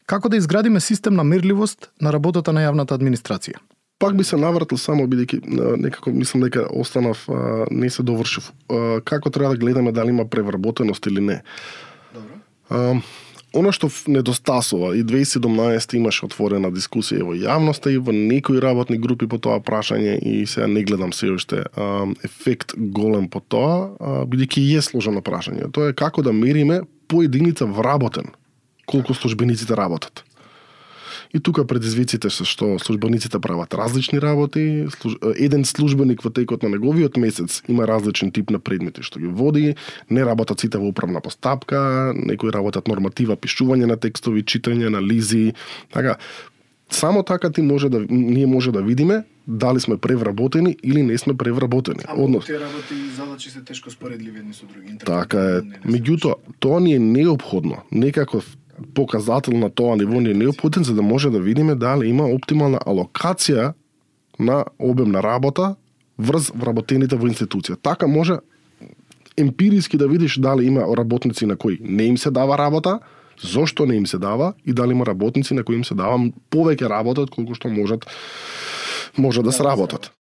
Како да изградиме систем на мерливост на работата на јавната администрација? Пак би се навратил само бидејќи некако мислам дека останав не се довршив. Како треба да гледаме дали има превработеност или не. Добро. Оно што недостасува, и 2017 имаше отворена дискусија во јавноста и во некои работни групи по тоа прашање, и сега не гледам се уште ефект голем по тоа, бидејќи е сложено прашање. Тоа е како да мериме по единица вработен, колку службениците работат. И тука предизвиците се што службениците прават различни работи, еден службеник во текот на неговиот месец има различен тип на предмети што ги води, не работат сите во управна постапка, некои работат норматива, пишување на текстови, читање, анализи, така. Само така ние може да видиме дали сме превработени или не сме превработени. Тие работи и задачи се тешко споредливи едни со други. Така е. Меѓутоа, тоа ни е неопходно. Некаков показател на тоа ниво ни е неопходен за да може да видиме дали има оптимална алокација на обем на работа врз вработените во институција. Така може емпириски да видиш дали има работници на кои не им се дава работа, зошто не им се дава и дали има работници на кои им се дава повеќе работа отколку што може да сработат.